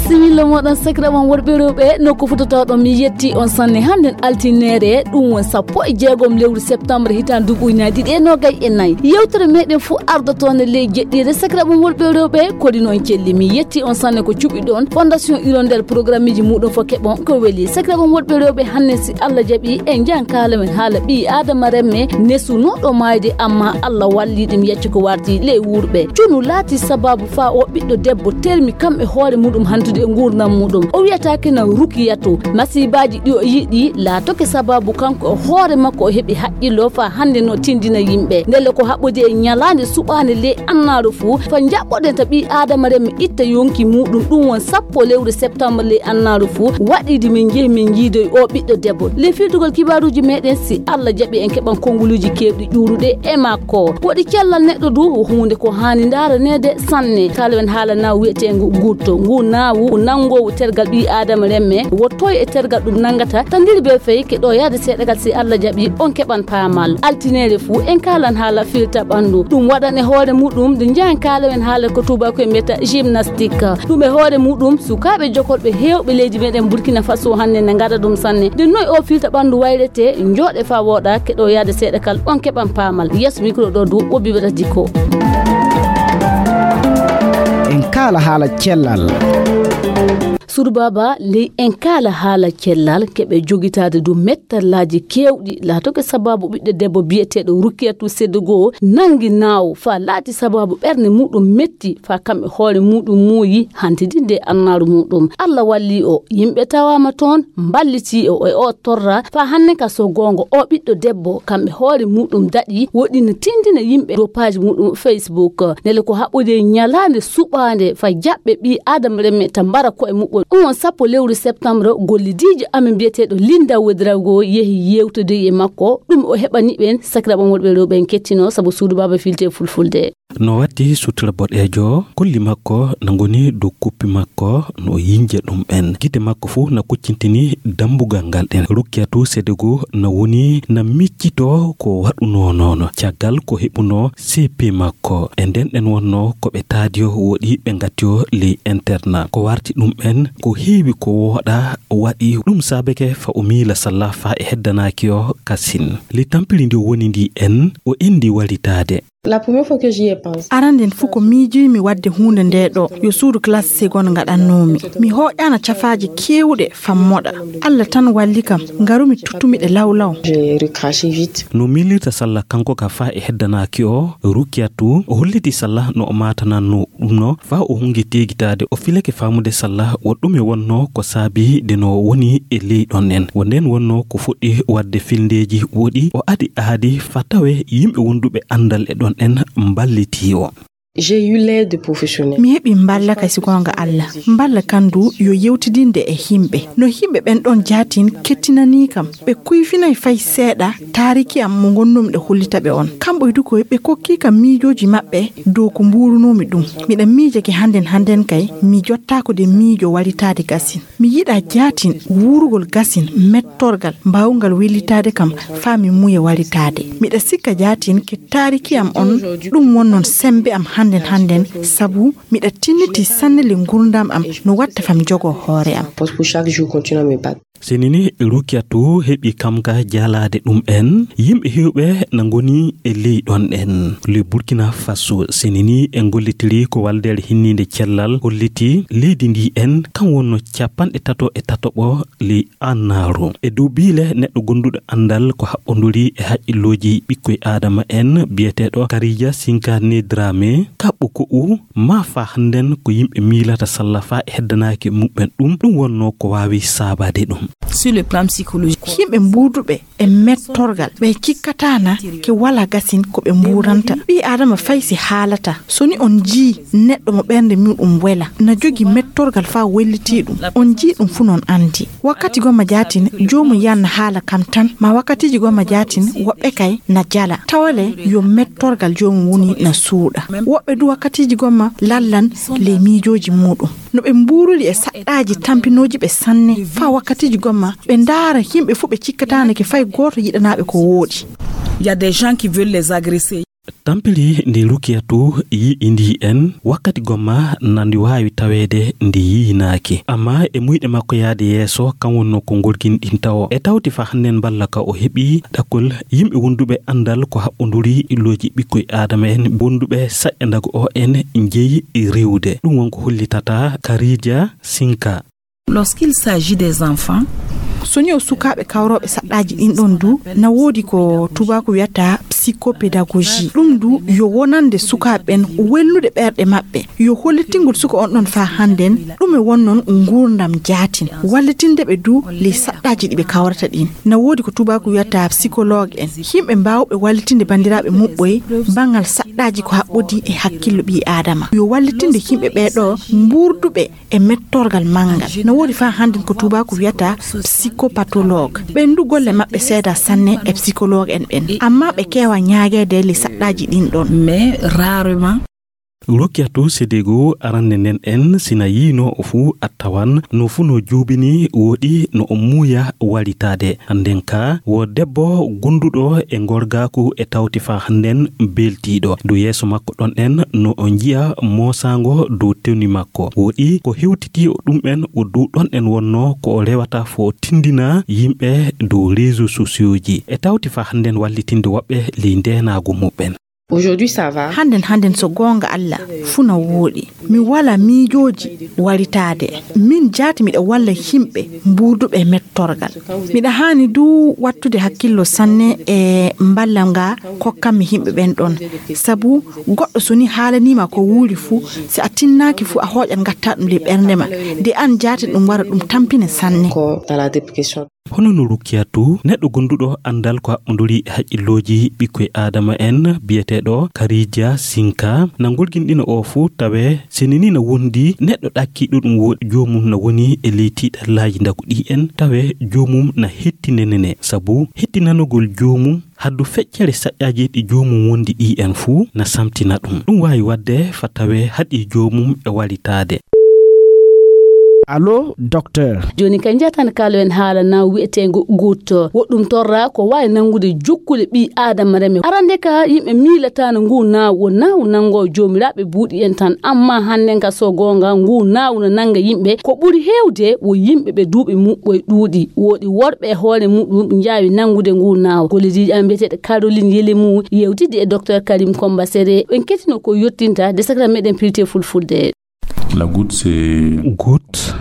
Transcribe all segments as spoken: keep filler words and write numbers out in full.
Similla moɗon sakiraɓam worɓe rewɓe, nokku fototoɗon mi yetti on sanne. Hannden altineere, ɗum won sappo e jeegom lewru septembre hitaan duuɓi ujunaaji ɗiɗi e noogay e nayi. Yewtere meɗen fof ardotoonde ley jeɗɗiire sakiraɓam worɓe rewɓe, kodi noon celli mi yetti on sanne ko cuɓiɗon fondation iro nder programmeji muɗum fof keɓon ko weli sakiraɓam worɓe rewɓe. Hanne si Allah jaɓi en njahan kaala men haala ɓii adama remme nesunoɗo maayde amma Allah walli ɗum yacci ko warti ley wurɓe cunu laati sababu fa o ɓiɗɗo debbo termi kam e hoore muɗum hantude e ngurdam muɗum o wiyata kena rukiyato masibaji ɗi o yiɗi laatoke sababu kanko e hoore makko o heɓi haqqillo fa hande no tindina yimɓe ndelle ko haɓɓude e ñalaande suɓaande ley annaaru fuu fa njaɓɓoɗen ta ɓii aadama remme itta yonki muɗum ɗum won sappo lewru septembre ley annaaru fuu waɗiidi min njehi min njiidoyi o ɓiɗɗo debbo ley filtugol kibaaruuji meɗen si Allah jaɓi en keɓan konnguluuji keewɗi ƴuuruɗe e makko woɗi cellal neɗɗo du huunde ko haani ndaaraneede sanne kala en haala naawu wiyeteengu gutto ngu naawu nanngoowu tergal ɓii aadama remme wottoy e tergal ɗum nanngata tandiri be fey ke ɗo yahde seeɗagal si Allah jaɓi on keɓan paamal altineere fuu en kaalan haala filta ɓanndu ɗum waɗan e hoore muɗum nde njahan kaala en haala ko tuubaako e mbiyata gymnastique ɗum e hoore muɗum sukaaɓe jokolɓe heewɓe leydi meɗen burkina faso hannde ne ngaɗa ɗum sanne nde noy o filta ɓanndu wayrete njooɗe fa wooɗa keɗo yahde seeɗa kal on keɓan paamal yeeso micro ɗo du wobbi ɓe ɗaɗi ko en kaala haala cellal suudu baaba ley en kaala haala cellal keɓe jogitaade du mettallaaji keewɗi laatoke sababu ɓiɗɗo debbo biyeteeɗo rukkiyatu sedde goo nangi naawo fa laati sababu ɓernde muɗum metti fa kam e hoore muɗum muuyi hantidinde annaaru muɗum allah walli o yimɓe tawaama toon mballiti o e o torra fa hanne ka so goongo o ɓiɗɗo debbo kam e hoore muɗum daɗi woɗɗina tindina yimɓe dow paaji muɗum facebook nele ko haɓɓude ñalaande suɓaande fa jaɓɓe ɓii aadama remme ta mbara koye muɓɓol ɗum on sappo lewru septembre gollidiijo amen mbiyeteeɗo linda wedrago yehi yewtodoyi e makko ɗum o heɓani ɓen sakiraɓam worɓe rewɓe en kettino sabu suudu baaba filte fulfulde no watti sutura boɗeejo kolli makko na ngoni dow kuppi makko no yinja ɗum en gite makko fuu na kuccintini dambugal ngal ɗen rukkiyatu sedego na woni na miccito ko waɗuno noon caggal ko heɓuno cp makko e nden ɗen wonno ko ɓe taadiyo woɗi ɓe ngattiyo ley interna ko warti ɗum en ko heewi ko wooɗa waɗi ɗum saabeke fa o miila salla fa e heddanaaki o kasin ley tampiri ndi o woni ndi en o endi waritaade La première fois que j'y ai pensé. Aranden fuu ko miijiimi waɗde huunde nde ɗo yo suudu classe seconde ngaɗannoomi mi hooƴaana cafaaje keewɗe fammoɗa allah tan walli kam ngarumi tuttumi ɗe lawlaw J'ai recraché vite. No miilirta salla kanko ka faa e heddanaaki o rukkiyatu o holliti salla no o maatananno ɗum no faa o hungi teegitaade o filake faamude salla wo ɗume wonnoo ko saabi de no woni e ley ɗon en wo nden wonnoo ko fuɗɗi waɗde filndeeji woɗi o adi aadi faa tawe yimɓe wonduɓe anndal e ɗon en mballitii o J'ai eu l'aide professionnelle. Mi heɓi mballa kay si goonga Allah mballa kan du yo yewtidinde e himɓe no himɓe ɓen ɗon jaatin kettinanii kam ɓe kuyfinay fay seeɗa taariki am mo ngonnoomi ɗo hollita ɓe on kamɓoy du koy ɓe kokkii kam miijooji maɓɓe dow ko mbuurunoomi ɗum miɗa miijake hannden hannden kay mi jottaako de miijo waritaade gasin mi yiɗa jaatin wuurugol gasin mettorgal mbaawngal wellitaade kam faa mi muuya waritaade miɗa sikka jaatin ke taariki am on ɗum won noon semmbe am hannden hannden sabu miɗa tinniti sanne le ngurndam am no watta fam jogo hoore am Poste pour chaque jour continuer à me battre. Sinini Rukiatu heɓi kam ka jaalaade ɗum en yimɓe heewɓe na ngoni e ley ɗon en ley Burkina Faso sinini en gollitiri ko waldeere hinniinde cellal holliti leydi ndi en kam wonno capanɗe tato e tatoɓo ley annaaru e dow biile neɗɗo gonduɗo anndal ko haɓɓonduri e haqqillooji ɓikkoy aadama en biyeteeɗo Karija Sinkane Drame kaɓɓo ko'u ma fa hannden ko yimɓe miilata salla fa e heddanaaki muɓɓen ɗum ɗum wonnoo ko waawi saabaade ɗum. Sur le plan psychologique. Yimɓe mbuuduɓe e mettorgal ɓe cikkataana ke wala gasin ko ɓe mbuuranta ɓii adama fay si haalata so ni on njii neɗɗo mo ɓernde muɗum wela na jogi mettorgal fa wellitii ɗum on njii ɗum fuu non anndi wakkati gomma jaatin joomum yan na haala kam tan ma wakkatiiji gomma jaatin woɓɓe kay na jala tawale yo mettorgal joomum woni na suuɗa woɓɓe du wakkatiiji gomma lallan ley miijooji muɗum No ɓe mbuuriri e saɗɗaaji tampinooji ɓe sanne, faa wakkatiiji gomma ɓe ndaara yimɓe fuu ɓe cikkataanake fay gooto yiɗanaaɓe ko wooɗi. Il y a des gens qui veulent les agresser. Tampiri ndi Rukiyatu yi'indii en, wakkati gomma na ndi waawi taweede ndi yiinaaki. Ammaa e muyɗe makko yahde yeeso, kam wonnoo ko ngolginɗinta o. E tawti faa hannden mballa ka o heɓi ɗakkol yimɓe wonduɓe anndal ko haɓɓonduri looji ɓikkoy Aadama en, wonduɓe saƴƴandago o en njeyi riwde. Ɗum won ko hollitata Karija Sinka. Lorsqu'il s'agit des enfants, so ni o sukaaɓe kawrooɓe saɗɗaaji ɗin ɗon du, na woodi ko tuubaaku wiyata psychopédagogie. Ɗum du yo wonande sukaaɓe ɓen welnude ɓerɗe maɓɓe. Yo hollitingol suka on ɗon faa hannden ɗume wonnon nguurndam jaatin. Wallitinde ɓe du ley saɗɗaaji ɗi ɓe kawrata ɗin. Na woodi ko tuubaaku wiyata psychologue en. Yimɓe mbaawɓe wallitinde banndiraaɓe muɓɓoy banngal saɗɗaaji ko haɓɓodii e hakkillo ɓii Aadama. Yo wallitinde yimɓe ɓee ɗoo mbuurduɓe e mettorgal manngal. No woodi faa hannden ko tuubaaku wiyata psychopathologue. Ɓen du golle maɓɓe seedaa sanne e psychologue en ɓen. Ammaa ɓe keewa ñaageede ley saɗɗaaji ɗin ɗon. Mais rarement. Rukiyatu Sedego arande nden en sina yiino o fuu a tawan no fuu no juubini wooɗi no o muuya walitaade. Hannden ka wo debbo gonduɗo e ngorgaaku e tawti faa hannden beltiiɗo. Dow yeeso makko ɗon en no o njiya moosaango dow tewni makko. Wooɗi ko hewtiti o ɗum en o dow ɗon en wonno ko o rewata fo o tindina yimɓe dow réseaux sociaux ji. E tawti faa hannden wallitinde woɓɓe ley ndeenaagu muɓɓen. Aujourd'hui, ça va. Hannden, hannden, so goonga Alla, fuu na wooɗi. Mi walaa miijooji waritaade. Min jaati miɗa walla yimɓe mbuurduɓe e mettorgal. Miɗa haani du wattude hakkillo sanne e mballa nga kokkammi yimɓe ɓen ɗon. Sabu goɗɗo so ni haalaniima ko wuuri fuu, si a tinnaaki fuu a hooƴat ngatta ɗum ley ɓernde ma. De an jaati ɗum wara ɗum tampine sanne. Ko tala depresion. Hono no Rukiyatu, neɗɗo gonduɗo anndal ko haɓɓonduri e haqqillooji ɓikkoy Aadama en, biyeteeɗo Karija Sinka, na ngolginɗina o fuu, tawe seni ni na wondi neɗɗo ɗakkiiɗo ɗum wo-, joomum na woni e ley tiiɗallaaji ndagu ɗi en, tawe joomum na hettinenene, sabu hettinanogol joomum haddu feccere saƴƴaaji ɗi joomum wondi ɗi en fuu na samtina ɗum. Ɗum waawi waɗde fa tawe haɗi joomum e walitaade. Allo, docteur. Jooni ka njatan kaalo en haala na wi'eteengo gootto. Woɗɗum torra ko waawi nanngude jokkule ɓii Aadama reme. Arande ka yimɓe miilataano ngu naawu, o naawu nanngo joomiraaɓe buuɗi en tan. Amma hannden ka so goonga ngu naawu no nannga yimɓe. Ko ɓuri heewde wo yimɓe ɓe duuɓi muɓɓoy ɗuuɗi. Woodi worɓe e hoore muɗum njaawi nanngude ngu naawu. Gollidiijo am biyeteeɗo Caroline Yelemu yewtidi e docteur Karim Komba Sere. En ketino ko yottinta de sakra meɗen pirite fulfulde. La goutte, c'est goutte.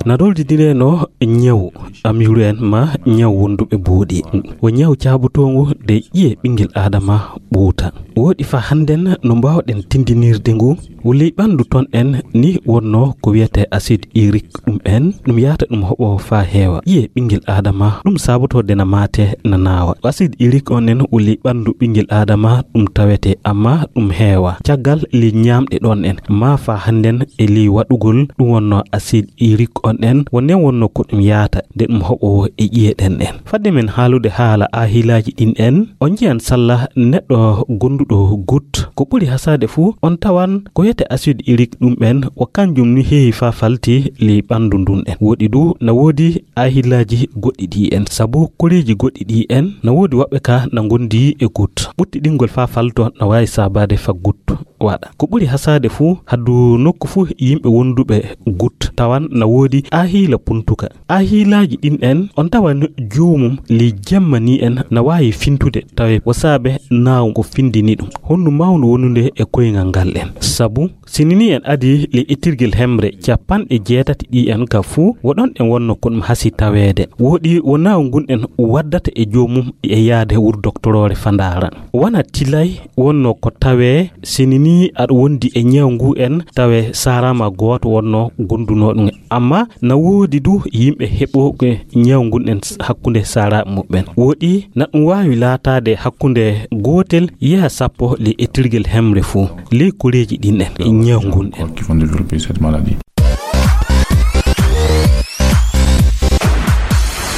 Na doldidire no ñaw amiru en ma ñaw wonduɓe buuɗi. Wo ñaw caabotoongu de ƴiye ɓinngel Aadama ɓuuta. Woɗi fa hannden no mbaawɗen tindinirde ngu. Wo ley ɓanndu ton en ni wonno ko wiyetee acide urique ɗum en. Ɗum yaata ɗum hoɓo fa heewa. Ƴiye ɓinngel Aadama ɗum saabotoo de na maate na naawa. Acide urique on en wo ley ɓanndu ɓinngel Aadama ɗum tawete amma ɗum heewa. Caggal ley ñaamɗe ɗon en. Ma fa hannden e ley waɗugol ɗum wonno acide urique on en. Wonnen wonno ko ɗum yaata de ɗum hoɓo e ƴiye ɗen en. Fadde men haalude haala ahilaaji ɗin en, on njiyan salla neɗɗo gonduɗo goutte. Ko ɓuri hasaade fuu, on tawan ko wiyetee acide urique ɗum en, wo kanjum ni heewi fa falti ley ɓanndu ndun en. Woɗi du, na woodi ahilaaji goɗɗi ɗi en. Sabu koreeji goɗɗi ɗi en, na woodi woɓɓe ka na ngondi e goutte. Ɓuttiɗingol fa falto na waawi saabaade fa goutte waɗa. Ko ɓuri hasaade fuu, haddu nokku fuu yimɓe wonduɓe goutte tawan na woodi ahiila puntuka. Ahiilaaji ɗin en, on tawan joomum ley jemma ni en na waawi fintude, tawe wo saabe naawu ngo findini ɗum. Hondu mawndu wonunde e koyngal ngal en. Sabu, sini ni en adi ley ettirgel hemre capanɗe jeetati ɗi en ka fuu, wo ɗon en wonno ko ɗum hasi taweede. Woɗi wo naawu ngun en waddata e joomum e yaade wuro doktoroore fa ndaara. Wona tilay wonno ko tawe sini ni aɗa wondi e ñaw ngu en, tawe saaraama gooto wonno gondunoo ɗum. Amma na woodi du yimɓe heɓooɓe ñaw ngun en hakkunde saaraaɓe muɓɓen. Woɗi na ɗum waawi laataade hakkunde gootel yaha sappo ley ettirgel hemre fuu, ley koreeji ɗin en, ñaw ngun en. Qui vont développer cette maladie.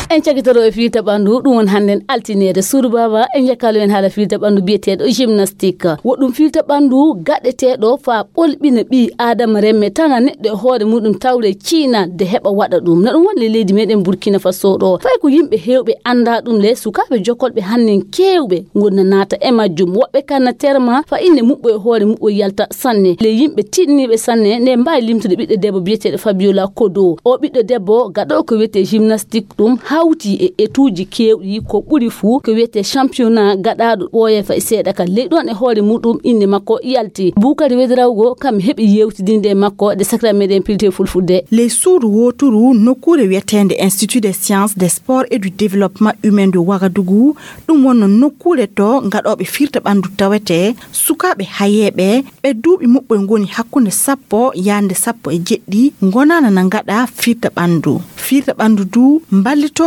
En cakitoro e fiirta ɓanndu, ɗum woni hannden altineede. Suudu Baaba, en njekkalo en haala fiirta ɓanndu biyeteeɗo gymnastique. Woɗɗum fiirta ɓanndu gaɗeteeɗo faa ɓolɓina ɓii Aadama remme, tana neɗɗo e hoore muɗum tawre ciina de heɓa waɗa ɗum. Na ɗum woni le leydi meɗen Burkina Faso ɗo. Fay ko yimɓe heewɓe anndaa ɗum le, sukaaɓe jokolɓe hannden keewɓe ngoni na naata e majjum. Woɓɓe kan na terma faa innde muɓɓo e hoore muɓɓo yalta sanne. Le yimɓe tiiɗniiɓe sanne, nde mbaawi limtude ɓiɗɗo debbo biyeteeɗo Fabiola Kodo. O ɓiɗɗo debbo gaɗo ko wiyetee gymnastique ɗum hawti e etuuji keewɗi, ko ɓuri fuu ko wiyetee championnat gaɗaaɗo ɓooye fay seeɗa ka ley ɗon e hoore muɗum innde makko yalti. Bukari Wedrawgo kam heɓi yewtidinde e makko de sakra meɗen pilte fulfulde. Ley suudu wooturu nokkuure wiyeteende Institut des Sciences, des Sports et du Développement Humain de Ouagadougou, ɗum wonno nokkuure to gaɗooɓe fiirta ɓanndu tawetee, sukaaɓe hayeeɓe, ɓe duuɓi muɓɓoy ngoni hakkunde sappo yaande sappo e jeɗɗi, ngonaana na ngaɗa fiirta ɓanndu. Fiirta ɓanndu du mballitooɓe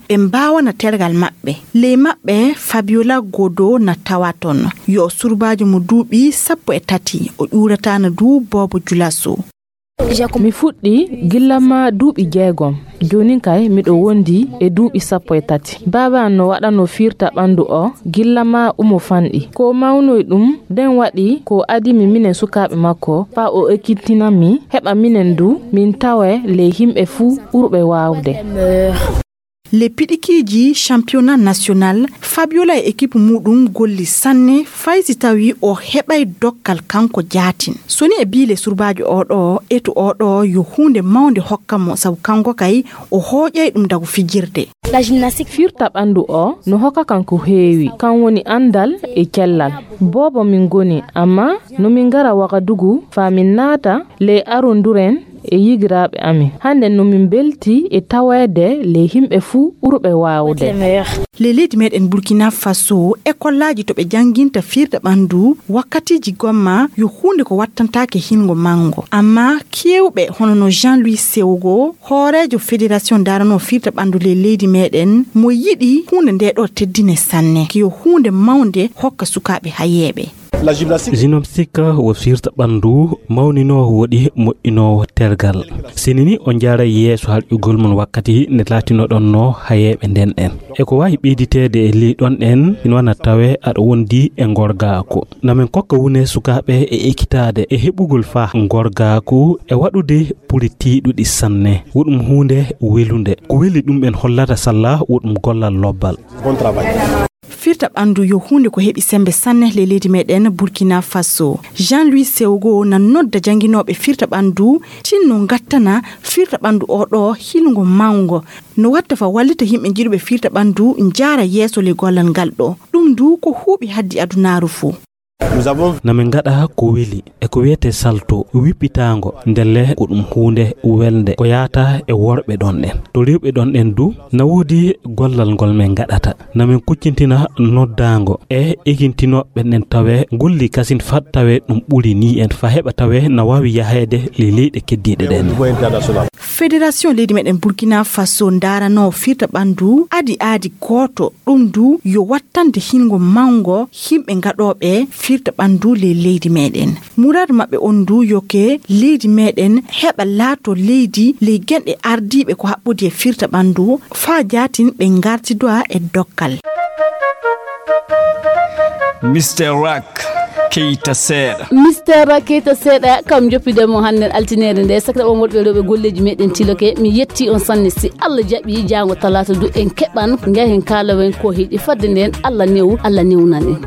ɓe mbaawana tergal maɓɓe. Ley maɓɓe, Fabiola Godo na tawa ton. Yo surbaajo mo duuɓi sappo e tati, o ƴuurataana du Boobo Julaso. Mi fuɗɗi gilla ma duuɓi jeegom. Joonin kay miɗo wondi e duuɓi sappo e tati. Baaba an no waɗanoo fiirta ɓanndu o gilla ma umo fanɗi. Ko mawnoy ɗum, nden waɗi ko adimi minen sukaaɓe makko, faa o ekkitina mi, heɓa minen du min tawee ley himɓe fuu ɓurɓe waawde. Le piɗikiiji championnat national, Fabiola e ekipu muɗum golli sanne, fay si tawi o heɓay dokkal kanko jaatin. So ni e biile surbaajo o ɗo, etu o ɗo yo huunde mawnde hokka mo, sabu kanko kay o hooƴay ɗum dagu fijirde. Fiirta ɓanndu o no hokka kan ko heewi, kan woni anndal e cellal. Boobo min ngoni, amma no min ngara Wagadugu faa min naata ley aronduren e yigiraaɓe amin. Hannden no min mbelti e taweede ley himɓe fuu ɓurɓe waawde. Ley leydi meɗen Burkina Faso, ekollaaji to ɓe jannginta fiirta ɓanndu, wakkatiiji gomma yo huunde ko wattantaake hingo manngo. Amma keewɓe hono no Jean-Louis Sewgo, hooreejo fédération daranoo fiirta ɓanndu ley leydi meɗen, mo yiɗi huunde nde ɗo teddine sanne. Ko yo huunde mawnde hokka sukaaɓe hayeeɓe. Gymnastique wo fiirta ɓanndu mawninoowo woɗi moƴƴinoowo tergal. Sini ni on njaaray yeeso harƴugol mon wakkati nde laatinoɗon no hayeeɓe nden en. E ko waawi ɓeyditeede e ley ɗon en, ina wana tawee aɗa wondi e ngorgaaku. Na min kokka wune sukaaɓe e ekkitaade e heɓugol faa ngorgaaku e waɗude puri tiiɗuɗi sanne. Woɗum huunde welunde. Ko weli ɗum en hollata salla woɗum gollal lobbal. Fiirta ɓanndu yo huunde ko heɓi semmbe sanne ley leydi meɗen Burkina Faso. Jean-Louis Sewgo na nodda jannginooɓe fiirta ɓanndu tinno ngattana fiirta ɓanndu o ɗo hilngo mawngo. No watta faa wallita yimɓe jiɗuɓe fiirta ɓanndu njaara yeeso ley gollal ngal ɗo. Ɗum du ko huuɓi haddi adunaaru fuu. Na min ngaɗa ko weli e ko wiyetee salto wippitaango, ndelle ko ɗum huunde welnde ko yaata e worɓe ɗon ɗen. To rewɓe ɗon ɗen du, na woodi gollal ngol min ngaɗata. Na min kuccintina noddaango e ekintinooɓe ɓen ɗen tawee golli kasin fat tawee ɗum ɓuri ni en faa heɓa tawee na waawi yaheede ley leyɗe keddiiɗe ɗen. Fédération leydi meɗen Burkina Faso ndaranoo fiirta ɓanndu adi aadi gooto. Ɗum du yo wattande hingo mawngo yimɓe gaɗooɓe fiirta ɓanndu ley leydi meɗen. Muraadu maɓɓe on du yo ke leydi meɗen heɓa laato leydi ley genɗe ardiiɓe ko haɓɓodi e fiirta ɓanndu faa jaatin ɓe ngartidoa e dokkal. Mister Rak, Keita Seeɗa. Mister Rak, Keita Seeɗa, kam joppide mo hannden altineere nde. Sakra on woɗɓe rewɓe golleeji meɗen tiloke. Mi yetti on sanne. Si Allah jaɓi, jaango talaata du en keɓan, ngahen kaalawen ko heɗi fadde nden. Allah newu, Allah newnan en.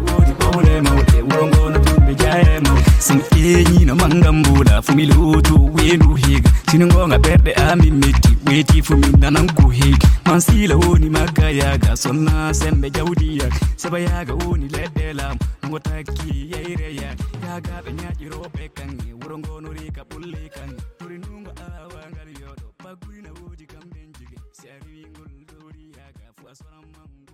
Sen eñino mangam bula fumi lutu wenu higa. Sini ngonga ɓerɗe amin metti, weti fumi nanan ko heɗi. Man sila woni magga yaga, sonna sembe jawdi yaga. Seba yaga woni leɗɗe lam, ngo takki yeyre yaga. Yaga ɓe ñaƴi roɓe kange, wuro ngono rika ɓulle kange. Tori nungo awa ngal yoɗo, baguyna wodi kam ɓen jige. Si a riwi ngol dowri yaga, fu a soran mango.